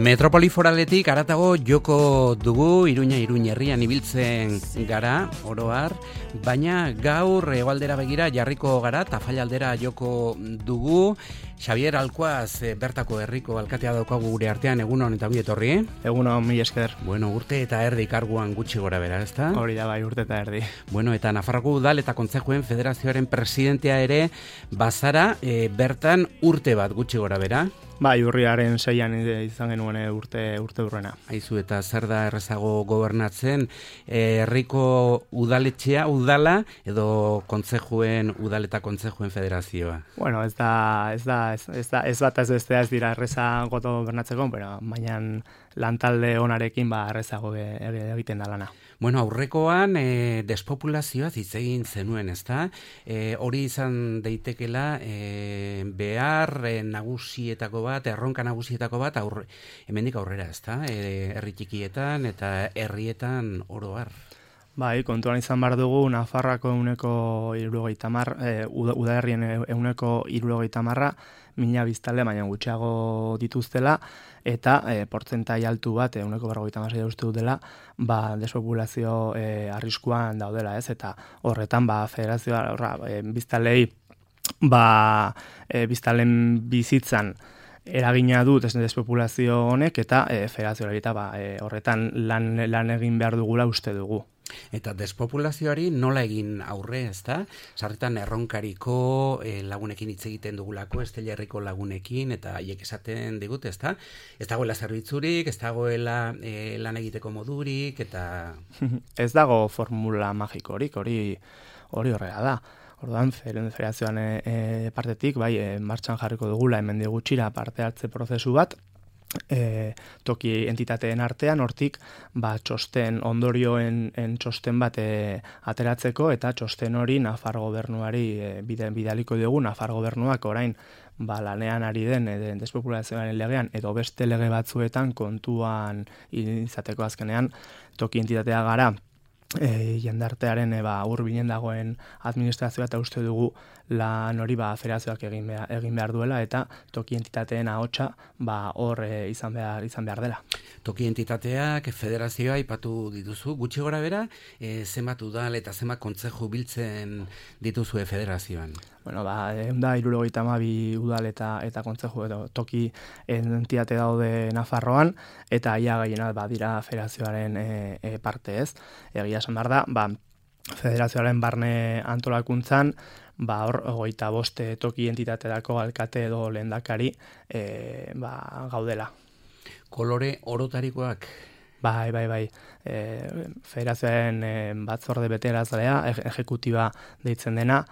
Metropoli foraletik haratago joko dugu, Iruña herrian ibiltzen gara, oroar, baina gaur hegoaldera begira jarriko gara, Tafalla joko dugu. Xavier Alkuaz, bertako herriko alkatea daukagu gure artean, egunon eta ongi etorri. Egunon, mila esker. Bueno, urte eta erdi karguan gutxi gora bera, ezta? Hori da bai, urte eta erdi. Bueno, eta Nafarroko Udal eta Kontzejuen Federazioaren presidentea ere bazara, bertan urte bat gutxi gora bera. Bai, urriaren 6an izan genuen urte urrena. Aizu, eta zer da errezago gobernatzen, herriko udaletxea, udala, edo kontzejuen, udal eta kontzejuen federazioa? Bueno, ez bat ez bestea ez dira errezago gobernatzeko, baina lantalde onarekin errezago egiten da lana. Bueno, aurrekoan despopulazioa hitz egin zenuen, ezta? Hori izan daitekela behar nagusietako bat, erronka nagusietako bat, hemendik aurrera, ezta? Herri txikietan eta herrietan oro har. Bai, kontuan izan behar dugu, Nafarroako 70%, udalerrien 70%, 1000 biztanle baina gutxiago dituztela, eta portzentai altu bat, 56% uste dut dela, despopulazio arriskuan daudela, ez? Eta horretan, federazioa, biztanlei, biztanleen bizitzan eragina dut despopulazio honek, eta federazioa horretan lan egin behar dugula uste dugu. Eta despopulazioari nola egin aurre, ezta? Sarritan erronkariko lagunekin hitz egiten dugulako, Estella herriko lagunekin, eta haiek esaten digute, ezta? Ez dagoela zerbitzurik, ez dagoela lan egiteko modurik, eta... Ez dago formula magikorik, hori horrela da. Orduan, federazioan partetik, martxan jarriko dugula, hemen gutxira parte hartze prozesu bat, toki entitateen artean, hortik txosten ondorioen txosten bat ateratzeko, eta txosten hori Nafar gobernuari bidaliko dugu. Nafar gobernuak orain lanean ari den despopulazioaren legean edo beste lege batzuetan kontuan izateko azkenean toki entitatea gara jendartearen hurbinen dagoen administrazioa, eta uste dugu lan hori federazioak egin behar duela, eta toki entitateen ahotsa hor izan behar dela. Toki entitateak, federazioa aipatu dituzu, gutxi gora bera, zenbat udal eta zenbat kontzeju biltzen dituzue federazioan? Bueno, 172 udal eta kontzeju edo toki entitate daude Nafarroan, eta ia gehiena dira federazioaren parte, ez. Egia esan behar da, federazioaren barne antolakuntzan, hor 25 toki entitaterako alkate edo lehendakari gaudela. Kolore orotarikoak? Bai. Federazioaren batzorde betearazlea, ejekutiba deitzen dena,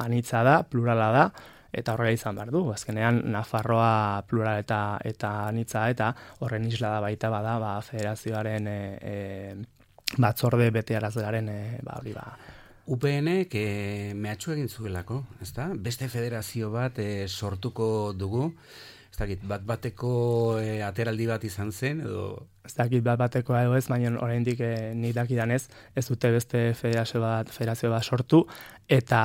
anitza da, plurala da, eta horrela izan behar du. Azkenean, Nafarroa plural eta anitza, eta horren isla da baita federazioaren batzorde betearazlearen hori UPN-ek mehatxu egin zuelako, ezta? Beste federazio bat sortuko dugu, ez dakit, bat-bateko ateraldi bat izan zen, edo... Ez dakit bat-bateko edo ez, baina oraindik nik dakidanez, ez dute beste federazio bat sortu, eta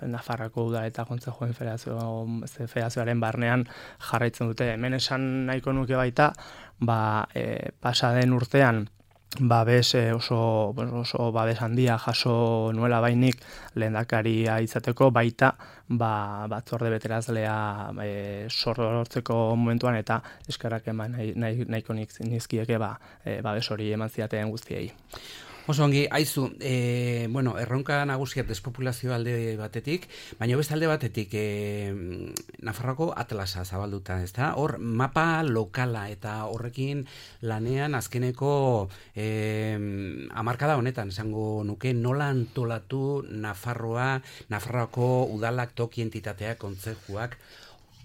Nafarroko Udal eta Kontzejuen federazioaren barnean jarraitzen dute. Hemen esan nahiko nuke baita, pasa den urtean, oso babes handia jaso nuela bainik lehendakaria izateko, baita batzorde beterazlea sortzeko momentuan, eta eskerrak eman nahiko nizkieke babes hori eman ziateen guztiei. Oso ongi, aizu, erronka nagusiak despopulazio alde batetik, baina beste alde batetik Nafarroako atlasa zabalduta, ezta? Hor mapa lokala, eta horrekin lanean azkeneko hamarkada honetan, esango nuke, nola antolatu Nafarroako udalak, toki entitateak, kontzejuak,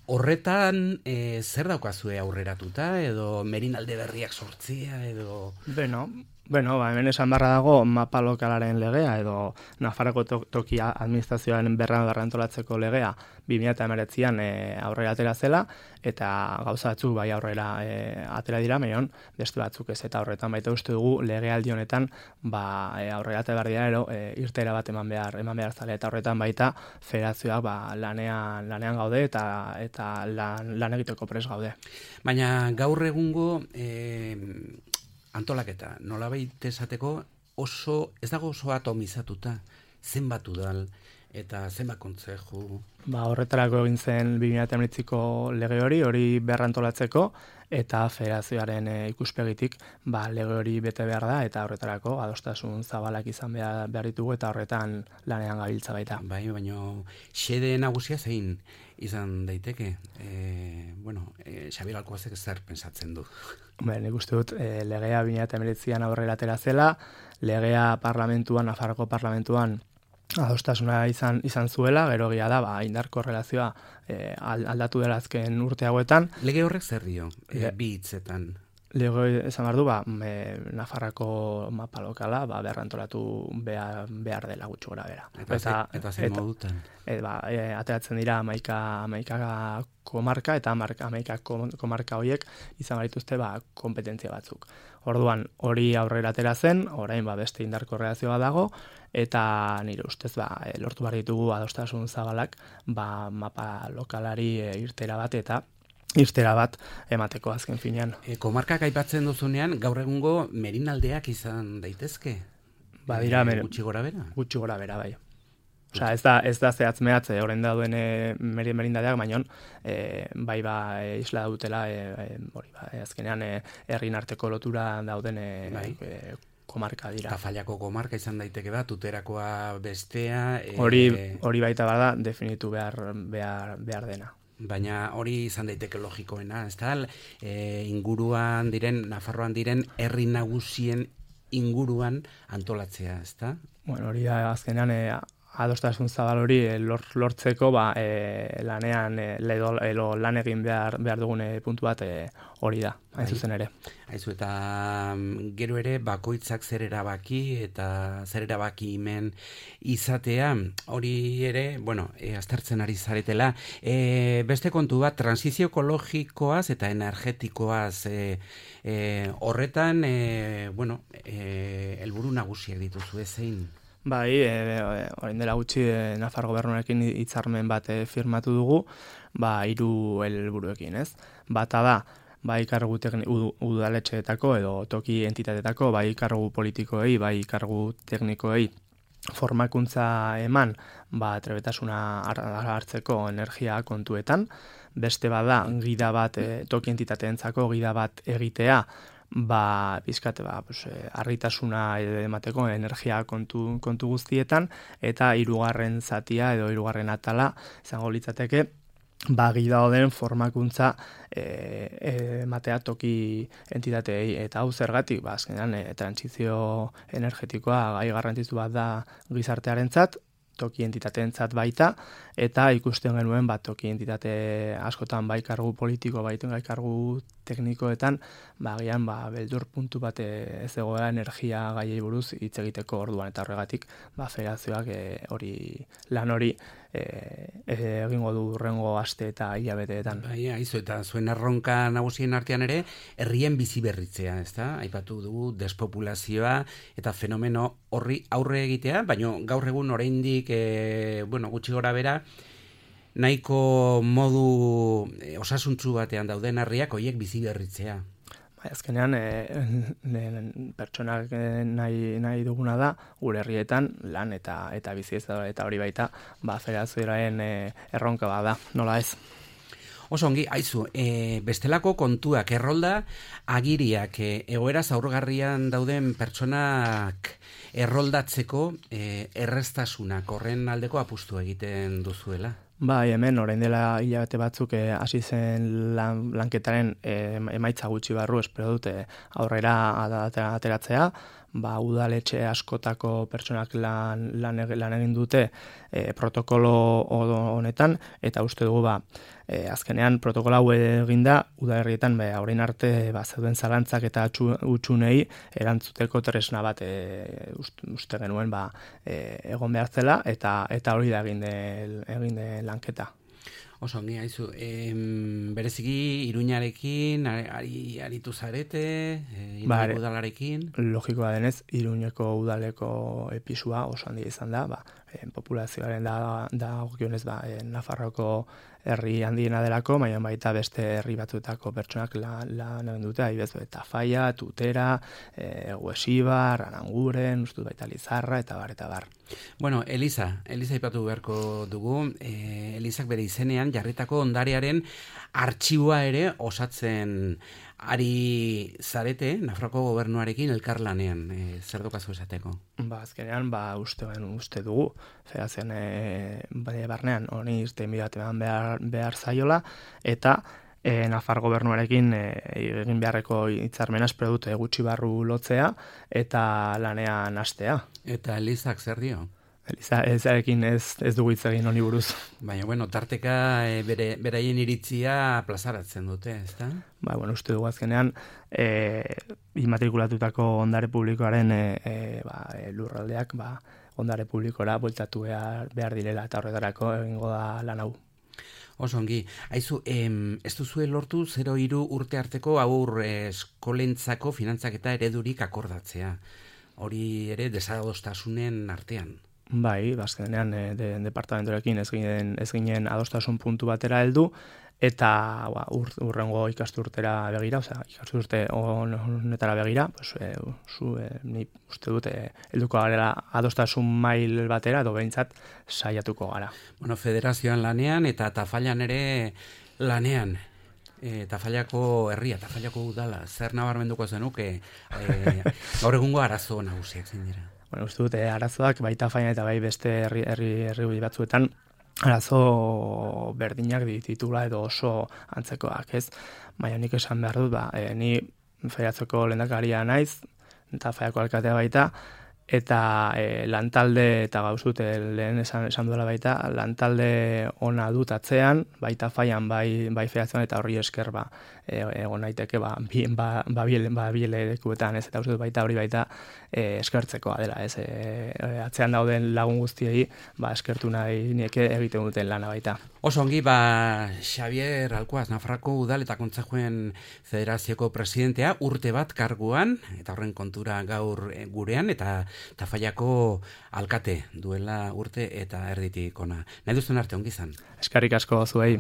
horretan zer daukazue aurreratuta, edo merinalde berriak sortzia, edo... Bueno, hemen esan barra dago mapa lokalaren legea edo Nafarroko toki administrazioaren berrantolatzeko legea 2019an aurrera atera zela eta gauza batzuk bai aurrera atera dira, baina beste batzuk ez, eta horretan baita uste dugu legealdi honetan aurrera atera behar dira irteera bat eman behar zale, eta horretan baita federazioak lanean gaude eta lan egiteko pres gaude. Baina gaur egungo antolaketa, nolabait esateko ez dago oso atomizatuta, zenbat udal eta zenbat kontzeju. Horretarako egin zen 2019ko lege hori berrantolatzeko, eta federazioaren ikuspegitik lege hori bete behar da, eta horretarako adostasun zabalak izan behar ditugu, eta horretan lanean gabiltza baita. Bai, baina xede nagusia zein izan daiteke? Xabier Alkoazek zer pensatzen du? Nik uste dut legea 2019an aurrera atera zela, legea Nafarroko parlamentuan adostasuna izan zuela, gero egia da, indarko relazioa aldatu dela azken urte hauetan. Lege horrek zer dio, bi hitzetan? Lege esan behar du, Nafarrako mapa lokala berrantolatu behar dela gutxi gora bera. Eta zer modutan? Ateratzen dira 11 komarka, eta 11 komarka horiek izan barituzte kompetentzia batzuk. Orduan, hori aurrera atera zen, orain beste indarko relazioa dago, eta nire ustez lortu behar ditugu adostasun zabalak mapa lokalari irtera bat emateko azken finean. Komarkak aipatzen duzunean, gaur egungo merinaldeak izan daitezke? Badira, gutxi gora bera? Gutxi gora bera, bai. Osea, ez da zehatz mehatz orain dauden merindadeak, baina isla dutela azkenean herrien arteko lotura dauden komarka dira. Tafallako komarka izan daiteke bat, Tuterakoa bestea. Hori baita bada definitu behar dena. Baina hori izan daiteke logikoena, ez da? Inguruan diren, Nafarroan diren, herri nagusien inguruan antolatzea, ez da? Hori azkenean adostasun zabal hori lortzeko lanean lan egin behar dugun puntu bat hori da, hain zuzen ere. Aizu, eta gero ere bakoitzak zer erabaki eta zer erabaki hemen izatea, hori ere, aztertzen ari zaretela. Beste kontu bat, transizio ekologikoaz eta energetikoaz horretan, helburu nagusiak dituzu zein? Bai, orain dela gutxi Nafar gobernuarekin hitzarmen bat firmatu dugu, 3 helburuekin, ez? Bata da, bai kargu udaletxeetako edo toki entitateetako, bai kargu politikoei, bai kargu teknikoei formakuntza eman, trebetasuna hartzeko energia kontuetan. Beste bada, gida bat toki entitateentzako gida bat egitea, pizkat argitasuna emateko energia kontu guztietan, eta 3. zatia edo 3. atala izango litzateke gida den formakuntza ematea toki entitateei, eta hau zergatik, azkenean trantsizio energetikoa gai garrantzitsu bat da gizartearentzat, toki entitateentzat baita, eta ikusten genuen toki entitate askotan bai kargu politiko, bai kargu teknikoetan, agian beldur puntu bat ez egoera energia gaiei buruz hitz egiteko orduan, eta horregatik federazioak lan hori egingo du hurrengo aste eta hilabeteetan. Bai, aizu, eta zuen erronka nagusien artean ere, herrien bizi berritzea, ezta? Aipatu dugu despopulazioa eta fenomeno horri aurre egitea, baina gaur egun oraindik gutxi gora bera, nahiko modu osasuntsu batean dauden herriak horiek bizi berritzea. Azkenean, pertsonak nahi duguna da, gure herrietan lan eta bizi ez da, eta hori baita, federazioaren erronka bada, nola ez? Oso ongi, aizu, bestelako kontuak, errolda agiriak, egoera zaurgarrian dauden pertsonak erroldatzeko erreztasunak, horren aldeko apustu egiten duzuela? Bai, hemen, orain dela hilabete batzuk hasi zen lanketaren emaitza gutxi barru, espero dute aurrera ateratzea, udaletxe askotako pertsonak lan egin dute protokolo honetan, eta uste dugu azkenean protokolo hau eginda udalerrietan orain arte zeuden zalantzak eta hutsunei erantzuteko tresna bat uste genuen egon behar zela, eta hori da egin den lanketa. Oso, ongi haizu, bereziki Iruñarekin aritu zarete, Iruñeko udalarekin? Logikoa denez, Iruñeko udaleko episua oso handia izan da, populazioaren dagokionez Nafarroko herri handiena delako, baina baita beste herri batzuetako pertsonak lan egin dute, adibidez Tafalla, Tutera, Huesibar, Aranguren, uste baita Lizarra, eta bar. Bueno, Eliza ipatu beharko dugu, Elizak bere izenean jarritako ondarearen artxiboa ere osatzen ari zarete, Nafarroko gobernuarekin elkarlanean, zer dokazu esateko? Azkenean, uste dugu, federazioan barnean honi irtenbide bat behar zaiola, eta Nafar gobernuarekin egin beharreko hitzarmena espero dute gutxi barru lotzea eta lanean hastea. Eta Elizak zer dio? Elizarekin ez dugu hitz egin honi buruz. Baina, tarteka beraien iritzia plazaratzen dute, ezta? Uste dugu azkenean immatrikulatutako ondare publikoaren lurraldeak ondare publikora bueltatu behar direla, eta horretarako egingo da lan hau. Oso ongi, haizu, ez duzue lortu 0-3 urte arteko aur eskolentzako finantzaketa eredurik akordatzea. Hori ere desadostasunen artean. Azkenean departamentorekin ez ginen adostasun puntu batera heldu, eta urrengo ikasturtera begira, ikasturte honetara begira, ni uste dut helduko garela adostasun mail batera, edo behintzat saiatuko gara. Federazioan lanean eta Tafallan ere lanean. Tafallako herria, Tafallako udala, zer nabarmenduko zenuke gaur egungo arazo nagusiak zein dira? Uste dut arazoak bai Tafallan eta bai beste herri batzuetan arazo berdinak dititula edo oso antzekoak, ez? Baina nik esan behar dut, ni federazioko lehendakaria naiz, Tafallako alkatea baita, eta lantalde, eta gauzut lehen esan duela baita, lantalde ona dut atzean, bai Tafallan, bai federazioan, eta horri esker egon naiteke bielekuetan, ez, eta uste dut baita hori baita eskertzekoa dela, ez, atzean dauden lagun guztiei eskertu nahi nieke egiten duten lana baita. Oso ongi, Xavier Alkuaz, Nafarroko udal eta kontseiluaren federazioko presidentea, urte bat karguan, eta horren kontura gaur gurean, eta Tafallako alkate duela urte eta erditik ona. Nahi duzun arte ongi izan. Eskerrik asko zuei.